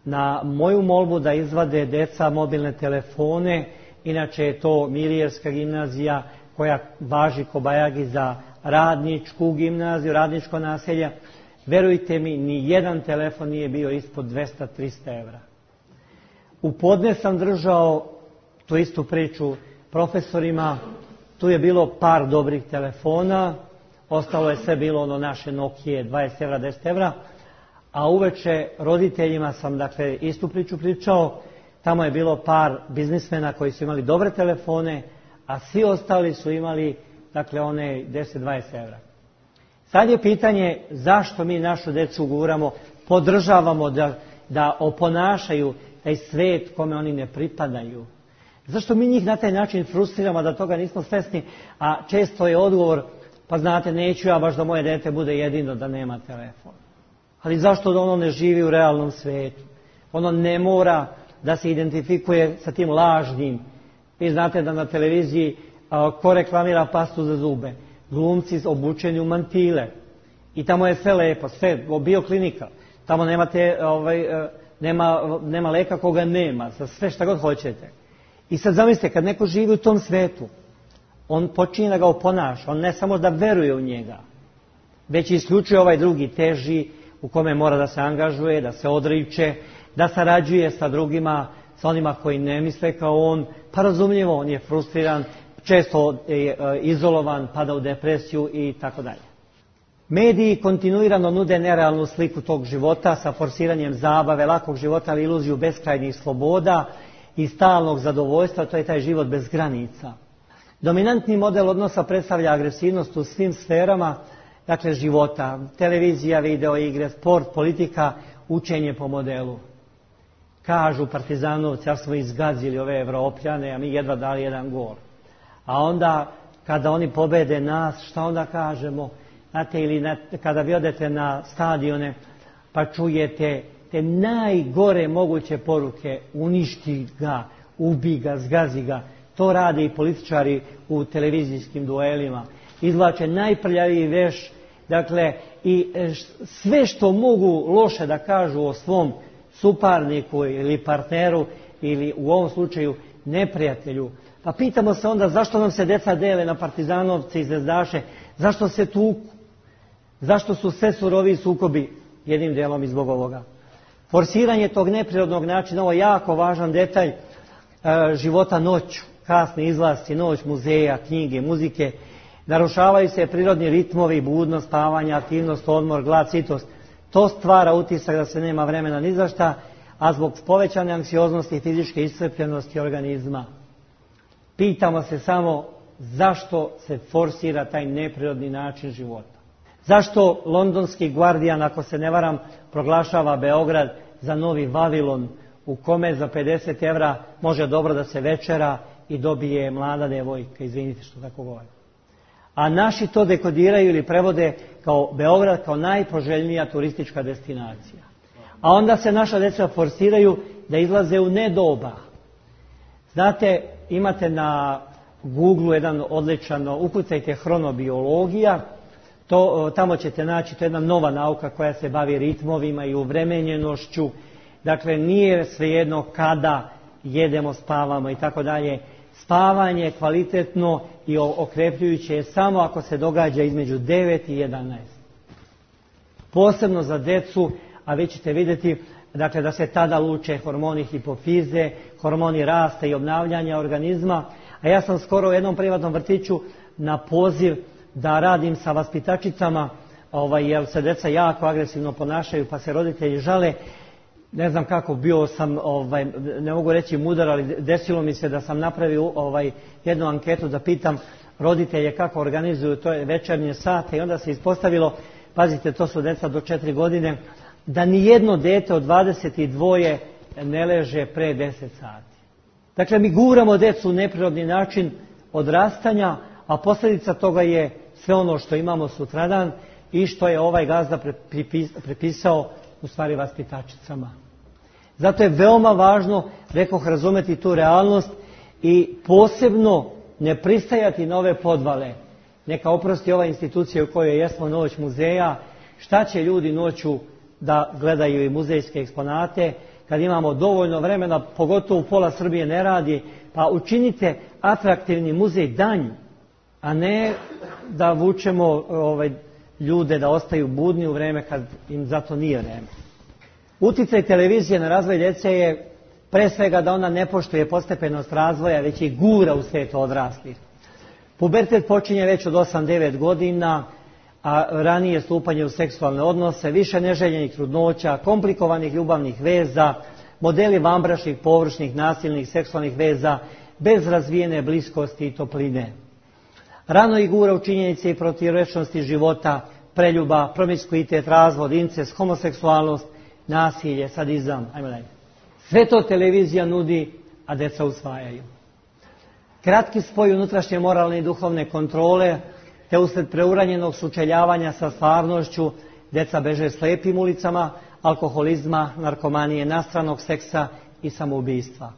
na moju molbu da izvade deca mobilne telefone, inače je to Milijerska gimnazija koja važi kobajagi za radničku gimnaziju, radničko naselje, verujte mi, ni jedan telefon nije bio ispod 200-300 evra. U podne sam držao tu istu priču profesorima, tu je bilo par dobrih telefona, ostalo je sve bilo ono naše Nokije, 20 evra, 10 evra, a uveče roditeljima sam, dakle, istu priču pričao, tamo je bilo par biznismena koji su imali dobre telefone, a svi ostali su imali, dakle, one 10-20 evra. Sad je pitanje zašto mi našu decu guramo, podržavamo da oponašaju taj svet kome oni ne pripadaju. Zašto mi njih na taj način frustriramo da toga nismo svesni, a često je odgovor, pa znate, neću ja baš da moje dete bude jedino da nema telefon. Ali zašto da ono ne živi u realnom svetu? Ono ne mora da se identifikuje sa tim lažnim. Vi znate da na televiziji ko reklamira pastu za zube? Glumci obučeni u mantile. I tamo je sve lepo, sve, bioklinika. Tamo nema leka koga nema, za sve šta god hoćete. I sad zamislite, kad neko živi u tom svetu, on počinje da ga oponaša, on ne samo da veruje u njega, već isključuje ovaj drugi teži, u kome mora da se angažuje, da se odriče, da sarađuje sa drugima, sa onima koji ne misle kao on, pa razumljivo, on je frustriran, često je izolovan, pada u depresiju i tako dalje. Mediji kontinuirano nude nerealnu sliku tog života sa forsiranjem zabave, lakog života, ali iluziju beskrajnih sloboda i stalnog zadovoljstva, to je taj život bez granica. Dominantni model odnosa predstavlja agresivnost u svim sferama, dakle, života, televizija, video igre, sport, politika, učenje po modelu. Kažu partizanovci, ja smo izgazili ove Evropljane, a mi jedva dali jedan gol. A onda, kada oni pobede nas, šta onda kažemo? Znate, ili kada vi odete na stadione, pa čujete te najgore moguće poruke, uništi ga, ubi ga, zgazi ga. To rade i političari u televizijskim duelima. Izvlače najprljaviji veš, dakle, i sve što mogu loše da kažu o svom suparniku ili partneru ili u ovom slučaju neprijatelju. Pa pitamo se onda zašto nam se deca dele na partizanovce i zvezdaše, zašto se tuku, zašto su sve suroviji sukobi, jednim delom i zbog ovoga. Forsiranje tog neprirodnog načina, ovo je jako važan detalj života noću, kasni izlasci, noć, muzeja, knjige, muzike, narušavaju se prirodni ritmovi, budnost, spavanja, aktivnost, odmor, glad, sitost. To stvara utisak da se nema vremena ni za šta, a zbog povećane anksioznosti i fizičke iscrpljenosti organizma. Pitamo se samo zašto se forsira taj neprirodni način života. Zašto londonski Guardian, ako se ne varam, proglašava Beograd za novi Vavilon, u kome za 50 evra može dobro da se večera i dobije mlada devojka, izvinite što tako govorim. A naši to dekodiraju ili prevode kao Beograd kao najpoželjnija turistička destinacija. A onda se naša deca forsiraju da izlaze u nedoba. Znate, imate na Google jedan odličan, ukucajte hronobiologija, tamo ćete naći, to je jedna nova nauka koja se bavi ritmovima i uvremenjenošću. Dakle, nije svejedno kada jedemo, spavamo i tako dalje. Spavanje je kvalitetno i okrepljujuće je samo ako se događa između 9 i 11. Posebno za decu, a vi ćete vidjeti, dakle, da se tada luče hormoni hipofize, hormoni rasta i obnavljanja organizma. A ja sam skoro u jednom privatnom vrtiću na poziv da radim sa vaspitačicama, jer se deca jako agresivno ponašaju, pa se roditelji žale. Ne znam kako, bio sam, ne mogu reći mudar, ali desilo mi se da sam napravio jednu anketu da pitam roditelje kako organizuju to večernje sate i onda se ispostavilo, pazite, to su deca do 4 godine, da nijedno dete od 22 ne leže pre 10 sati. Dakle, mi guramo decu u neprirodni način odrastanja, a posljedica toga je sve ono što imamo sutradan i što je ovaj gazda prepisao u stvari vaspitačicama. Zato je veoma važno, rekoh, razumeti tu realnost i posebno ne pristajati na ove podvale. Neka oprosti ova institucija u kojoj jesmo, Noć muzeja, šta će ljudi noću da gledaju i muzejske eksponate, kad imamo dovoljno vremena, pogotovo pola Srbije ne radi, pa učinite atraktivni muzej danju. a ne da vučemo ljude da ostaju budni u vreme kad im za to nije vreme. Uticaj televizije na razvoj djece je pre svega da ona ne poštuje postepenost razvoja, već i gura u svijet odraslih. Pubertet počinje već od 8-9 godina, a ranije stupanje u seksualne odnose, više neželjenih trudnoća, komplikovanih ljubavnih veza, modeli vanbračnih, površnih, nasilnih, seksualnih veza, bez razvijene bliskosti i topline. Rano ih gura u činjenice i protivrečnosti života, preljuba, promiskuitet, razvod, incest, homoseksualnost, nasilje, sadizam, ajmo dalje. Sve to televizija nudi, a deca usvajaju. Kratki spoj unutrašnje moralne i duhovne kontrole, te usled preuranjenog sučeljavanja sa stvarnošću, deca beže slijepim ulicama, alkoholizma, narkomanije, nastranog seksa i samoubistva.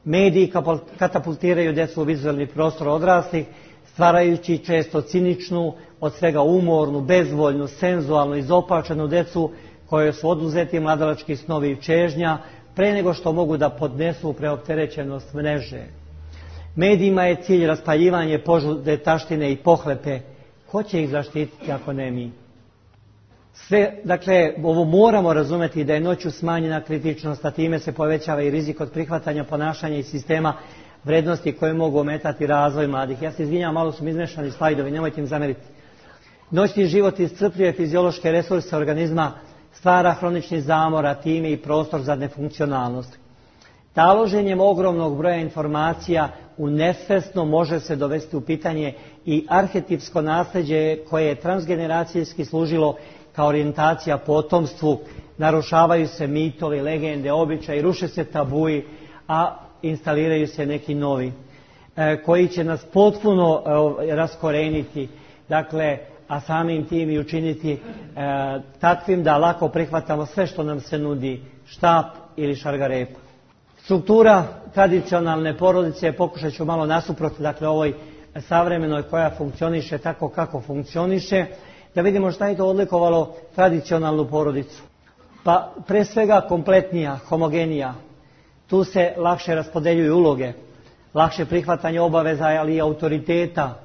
Mediji katapultiraju decu u vizualni prostor odraslih, stvarajući često ciničnu, od svega umornu, bezvoljnu, senzualnu, izopačenu decu kojoj su oduzeti mladalački snovi i čežnja pre nego što mogu da podnesu preopterećenost mreže. Medijima je cilj raspaljivanje požude, taštine i pohlepe. Ko će ih zaštititi ako ne mi? Sve, dakle, ovo moramo razumeti da je noću smanjena kritičnost, a time se povećava i rizik od prihvatanja ponašanja i sistema vrednosti koje mogu ometati razvoj mladih. Ja se izvinjam, malo su mi izmešani slajdovi, nemojte im zameriti. Noćni život iscrpljuje fiziološke resurse organizma, stvara hronični zamor, a time i prostor za nefunkcionalnost. Taloženjem ogromnog broja informacija u nesvesno može se dovesti u pitanje i arhetipsko nasljeđe koje je transgeneracijski služilo kao orijentacija potomstvu, narušavaju se mitovi, legende, običaji, ruše se tabuji, a instaliraju se neki novi, koji će nas potpuno raskoreniti, dakle, a samim tim i učiniti takvim da lako prihvatamo sve što nam se nudi, štap ili šargarepa. Struktura tradicionalne porodice, pokušat ću malo nasuprot, dakle, ovoj savremenoj koja funkcioniše tako kako funkcioniše, da vidimo šta je to odlikovalo tradicionalnu porodicu. Pa pre svega kompletnija, homogenija. Tu se lakše raspodeljuju uloge, lakše prihvatanje obaveza, ali i autoriteta.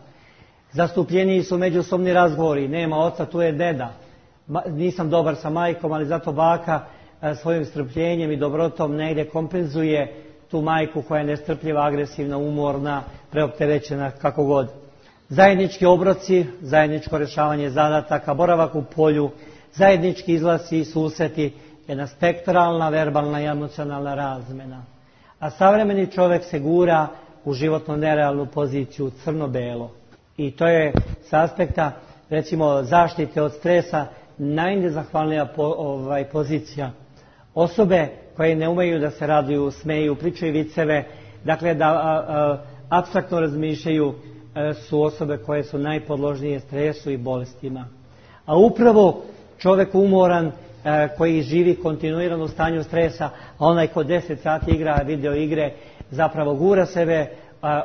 Zastupljeniji su međusobni razgovori, nema oca, tu je deda. Nisam dobar sa majkom, ali zato baka svojim strpljenjem i dobrotom negdje kompenzuje tu majku koja je nestrpljiva, agresivna, umorna, preopterećena, kako god. Zajednički obroci, zajedničko rješavanje zadataka, boravak u polju, zajednički izlasi i susreti, jedna spektralna, verbalna i emocionalna razmena. A savremeni čovjek se gura u životno nerealnu poziciju, crno-belo. I to je s aspekta, recimo, zaštite od stresa najnezahvalnija pozicija. Osobe koje ne umeju da se raduju, smeju, pričaju viceve, dakle da apstraktno razmišljaju, su osobe koje su najpodložnije stresu i bolestima. A upravo čovjek umoran koji živi kontinuirano u stanju stresa, a onaj ko 10 sati igra video igre, zapravo gura sebe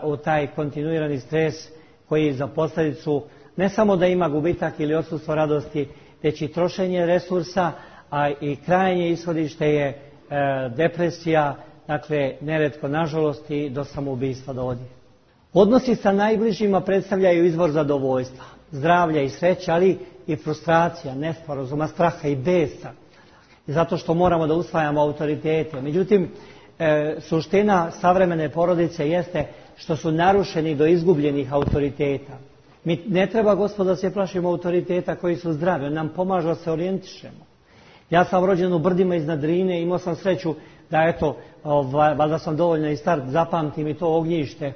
u taj kontinuirani stres koji za posljedicu ne samo da ima gubitak ili odsustvo radosti, već i trošenje resursa, a i krajnje ishodište je depresija, dakle neretko nažalost i do samoubistva dovodi. Odnosi sa najbližima predstavljaju izvor zadovoljstva, zdravlja i sreće, ali i frustracija, nesporazuma, straha i besa. Zato što moramo da usvajamo autoritete. Međutim, suština savremene porodice jeste što su narušeni do izgubljenih autoriteta. Mi ne treba, gospodo, da se plašimo autoriteta koji su zdravi, on nam pomaže da se orijentišemo. Ja sam rođen u brdima iznad Drine, imao sam sreću da, eto, valjda sam dovoljno i star, zapamtim i to ognjište.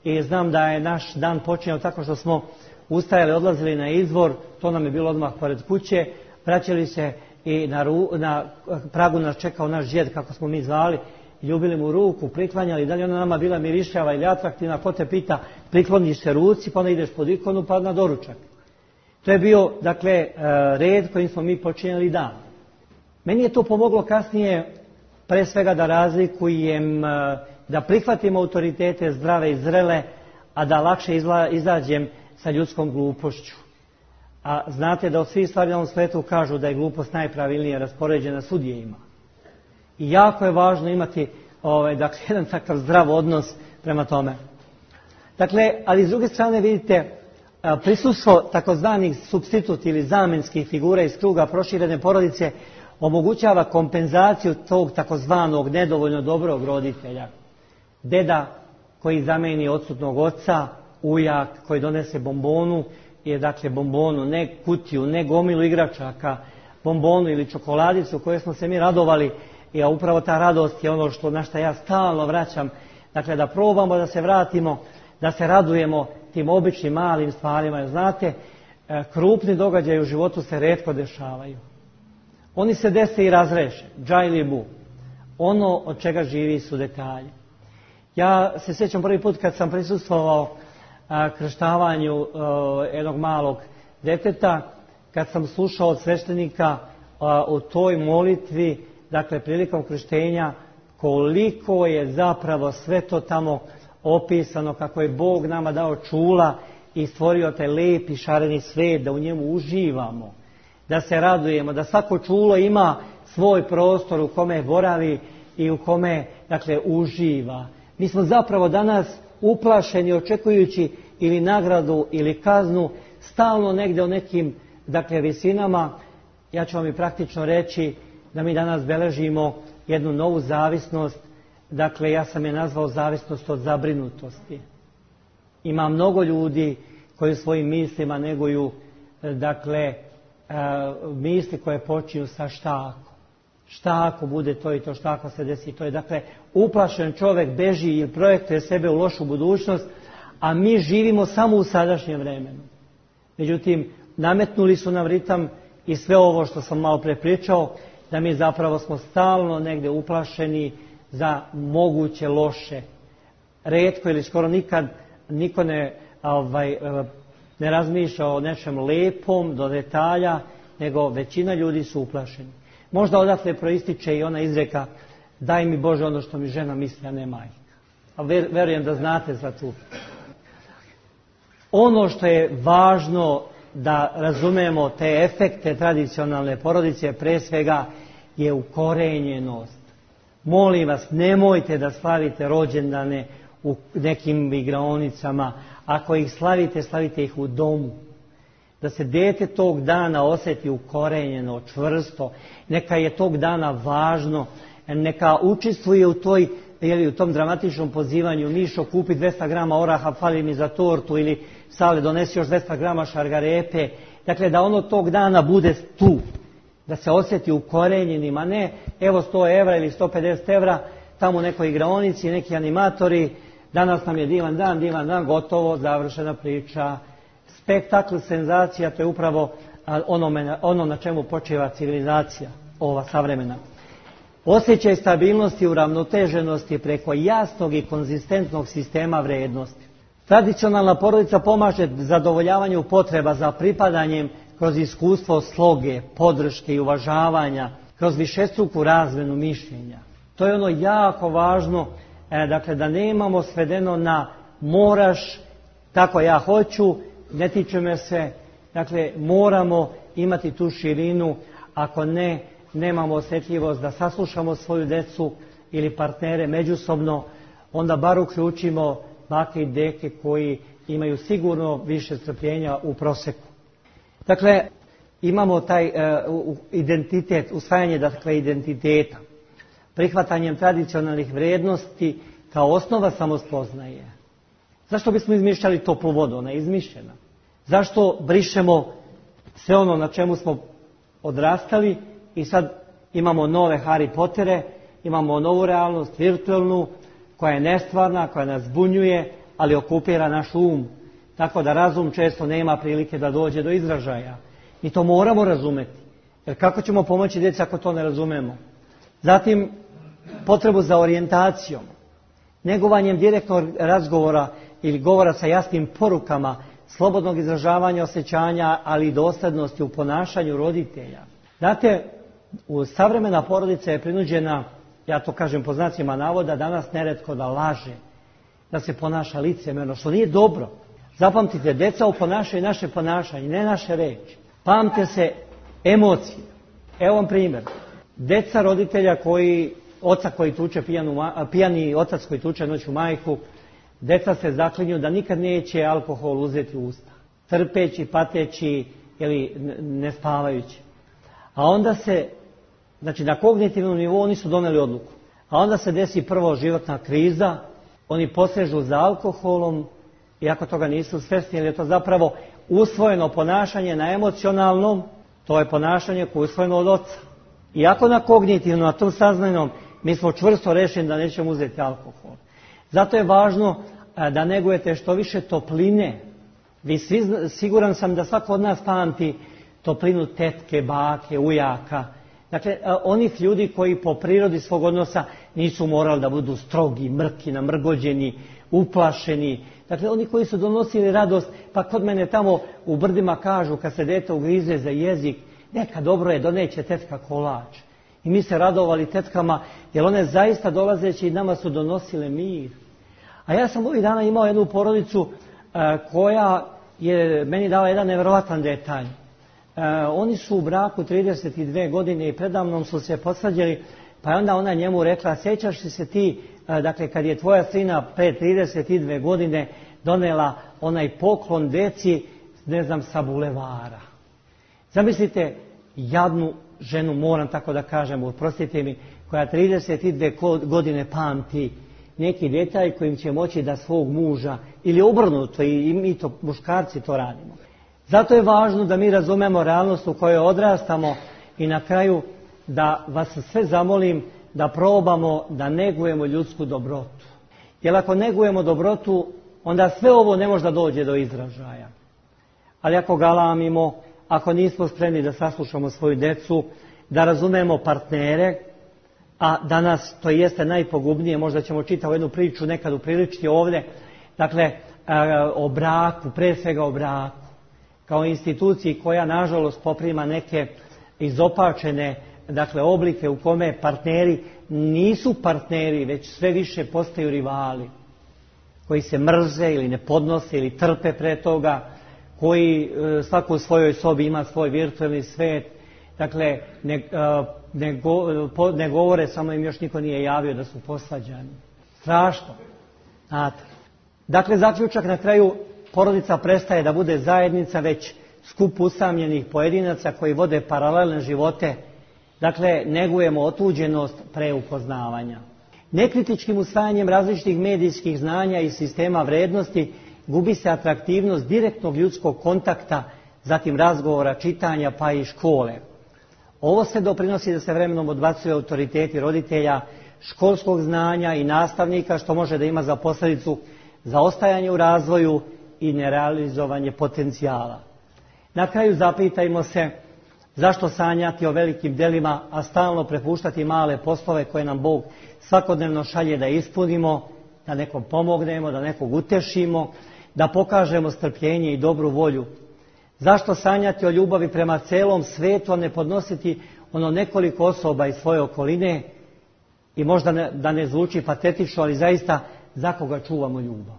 I znam da je naš dan počinjao tako što smo ustajali, odlazili na izvor, to nam je bilo odmah pored kuće, vraćali se i na pragu nas čekao naš djed, kako smo mi zvali, ljubili mu ruku, priklanjali, da li ona nama bila mirišljava ili atraktivna, ko te pita, prikloniš se ruci, pa onda ideš pod ikonu, pa na doručak. To je bio, dakle, red kojim smo mi počinjali dan. Meni je to pomoglo kasnije, pre svega da razlikujem, da prihvatim autoritete zdrave i zrele, a da lakše izađem sa ljudskom glupošću. A znate da od svih stvari na ovom svijetu kažu da je glupost najpravilnije raspoređena sudijima. I jako je važno imati dakle, jedan takav zdrav odnos prema tome. Dakle, ali s druge strane vidite, prisustvo takozvanih supstitut ili zamenskih figura iz kruga proširene porodice omogućava kompenzaciju tog takozvanog nedovoljno dobrog roditelja. Deda koji zameni odsutnog oca, ujak koji donese bombonu, je dakle bombonu, ne kutiju, ne gomilu igračaka, bombonu ili čokoladicu koje smo se mi radovali, i upravo ta radost je ono na što ja stalno vraćam. Dakle, da probamo da se vratimo, da se radujemo tim običnim malim stvarima. Jer znate, krupni događaji u životu se retko dešavaju. Oni se dese i razreše, džajli bu. Ono od čega živi su detalji. Ja se sjećam prvi put kad sam prisustvovao krštavanju jednog malog deteta, kad sam slušao od sveštenika u toj molitvi, dakle prilikom krštenja, koliko je zapravo sve to tamo opisano, kako je Bog nama dao čula i stvorio taj lepi šareni svijet, da u njemu uživamo, da se radujemo, da svako čulo ima svoj prostor u kome boravi i u kome, dakle, uživa. Mi smo zapravo danas uplašeni očekujući ili nagradu ili kaznu, stalno negdje u nekim, dakle, visinama. Ja ću vam i praktično reći da mi danas beležimo jednu novu zavisnost, dakle ja sam je nazvao zavisnost od zabrinutosti. Ima mnogo ljudi koji svojim mislima neguju, dakle, misli koje počinju sa šta ako. Šta ako bude to i to, šta ako se desi to je. Dakle, uplašen čovjek beži ili projektuje sebe u lošu budućnost, a mi živimo samo u sadašnjem vremenu. Međutim, nametnuli su nam ritam i sve ovo što sam malo prepričao, da mi zapravo smo stalno negdje uplašeni za moguće loše. Retko ili skoro nikad niko ne razmišlja o nečem lepom do detalja, nego većina ljudi su uplašeni. Možda odatle proističe i ona izreka: daj mi Bože ono što mi žena misli, a ne majka. A verujem da znate za tu. Ono što je važno da razumemo te efekte tradicionalne porodice, pre svega je ukorenjenost. Molim vas, nemojte da slavite rođendane u nekim igraonicama. Ako ih slavite, slavite ih u domu. Da se dete tog dana osjeti ukorenjeno, čvrsto. Neka je tog dana važno. Neka učestvuje u tom dramatičnom pozivanju: Mišo, kupi 200 grama oraha, fali mi za tortu, ili Sale, donesi još 200 grama šargarepe. Dakle, da ono tog dana bude tu. Da se osjeti ukorenjenim, a ne evo 100 evra ili 150 evra, tamo u nekoj igraonici, neki animatori, danas nam je divan dan, gotovo, završena priča. Spektakl, senzacija, to je upravo ono na čemu počiva civilizacija, ova savremena. Osjećaj stabilnosti i uravnoteženosti preko jasnog i konzistentnog sistema vrijednosti. Tradicionalna porodica pomaže zadovoljavanju potreba za pripadanjem kroz iskustvo sloge, podrške i uvažavanja, kroz višestruku razmenu mišljenja. To je ono jako važno, dakle, da nemamo svedeno na moraš, tako ja hoću, ne tiče me se. Dakle, moramo imati tu širinu, ako ne, nemamo osjetljivost da saslušamo svoju decu ili partnere međusobno, onda bar uključimo bake i deke koji imaju sigurno više strpljenja u prosjeku. Dakle, imamo taj identitet, usvajanje, dakle, identiteta, prihvatanjem tradicionalnih vrijednosti kao osnova samospoznaje. Zašto bismo izmišljali toplu vodu? Ona je izmišljena. Zašto brišemo sve ono na čemu smo odrastali i sad imamo nove Harry Pottere, imamo novu realnost, virtualnu, koja je nestvarna, koja nas zbunjuje, ali okupira naš um. Tako da razum često nema prilike da dođe do izražaja. Mi to moramo razumeti. Jer kako ćemo pomoći djeci ako to ne razumemo? Zatim, potrebu za orijentacijom, negovanjem direktnog razgovora ili govora sa jasnim porukama, slobodnog izražavanja osjećanja, ali i dosljednosti u ponašanju roditelja. Znate, savremena porodica je prinuđena, ja to kažem po znacima navoda, danas neretko da laže, da se ponaša licemjerno, što nije dobro. Zapamtite, djeca oponašaju naše ponašanje, ne naše reči. Pamte se emocije. Evo vam primjer. Djeca roditelja oca koji tuče pijani otac koji tuče noću majku, djeca se zaklinju da nikad neće alkohol uzeti u usta. trpeći, pateći ili ne spavajući. A onda se, znači na kognitivnom nivou oni su doneli odluku. A onda se desi prvo životna kriza, oni posežu za alkoholom, iako toga nisu svjesni, jer je to zapravo usvojeno ponašanje na emocionalnom, to je ponašanje koje je usvojeno od oca. Iako na kognitivnom, na tom saznajnom, mi smo čvrsto rešeni da nećemo uzeti alkohol. Zato je važno da negujete što više topline. Siguran sam da svako od nas pamti toplinu tetke, bake, ujaka. Dakle, onih ljudi koji po prirodi svog odnosa nisu morali da budu strogi, mrki, namrgođeni, uplašeni. Dakle, oni koji su donosili radost, pa kod mene tamo u brdima kažu kad se dete ugrize za jezik, neka dobro je, doneće tetka kolač. I mi se radovali tetkama, jer one zaista dolazeći nama su donosile mir. A ja sam ovih dana imao jednu porodicu koja je meni dala jedan nevjerovatan detalj. Oni su u braku 32 godine i predavnom su se posvađali, pa je onda ona njemu rekla, sjećaš li se ti, dakle kad je tvoja sina pre 32 godine donela onaj poklon deci, ne znam, sa bulevara. Zamislite jadnu ženu, moram tako da kažem, oprostite mi, koja 32 godine pamti neki detalj kojim će moći da svog muža, ili obrnuto, i mi to, muškarci to radimo. Zato je važno da mi razumemo realnost u kojoj odrastamo i na kraju da vas sve zamolim da probamo da negujemo ljudsku dobrotu. Jer ako negujemo dobrotu, onda sve ovo ne može da dođe do izražaja. Ali ako galamimo, ako nismo spremni da saslušamo svoju decu, da razumemo partnere, a danas to jeste najpogubnije, možda ćemo čitavu jednu priču nekad upriličiti ovdje, dakle o braku, pre svega o braku, kao instituciji koja nažalost poprima neke izopačene, dakle, oblike u kome partneri nisu partneri, već sve više postaju rivali, koji se mrze ili ne podnose ili trpe pre toga, koji svako u svojoj sobi ima svoj virtualni svet, dakle, ne govore, samo im još niko nije javio da su posvađani. Strašno. Znate. Dakle, zaključak na kraju, porodica prestaje da bude zajednica, već skup usamljenih pojedinaca koji vode paralelne živote. Dakle, negujemo otuđenost pre upoznavanja. Nekritičkim usvajanjem različitih medijskih znanja i sistema vrednosti gubi se atraktivnost direktnog ljudskog kontakta, zatim razgovora, čitanja pa i škole. Ovo se doprinosi da se vremenom odbacuje autoriteti roditelja, školskog znanja i nastavnika, što može da ima za posljedicu zaostajanje u razvoju i nerealizovanje potencijala. Na kraju zapitajmo se zašto sanjati o velikim delima, a stalno prepuštati male poslove koje nam Bog svakodnevno šalje da ispunimo, da nekom pomognemo, da nekog utešimo, da pokažemo strpljenje i dobru volju. Zašto sanjati o ljubavi prema celom svetu, a ne podnositi ono nekoliko osoba iz svoje okoline i možda da ne zvuči patetično, ali zaista za koga čuvamo ljubav.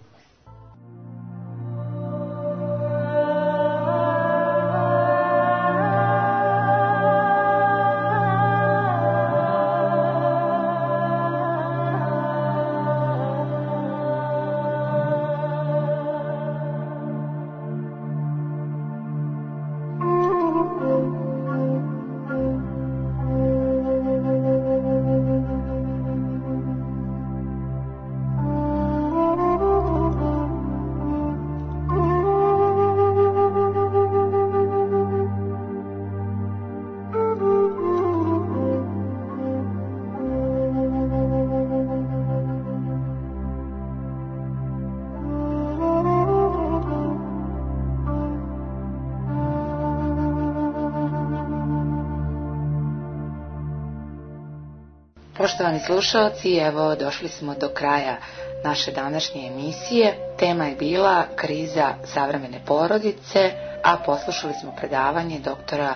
Poštovani slušalci, evo došli smo do kraja naše današnje emisije. Tema je bila kriza savremene porodice, a poslušali smo predavanje doktora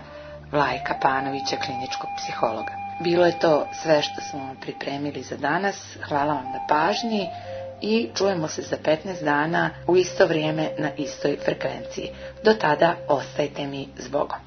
Vlajka Panovića, kliničkog psihologa. Bilo je to sve što smo vam pripremili za danas. Hvala vam na pažnji i čujemo se za 15 dana u isto vrijeme na istoj frekvenciji. Do tada ostajte mi s Bogom.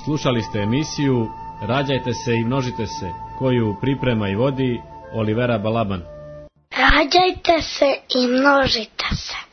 Slušali ste emisiju Rađajte se i množite se, koju priprema i vodi Olivera Balaban. Rađajte se i množite se.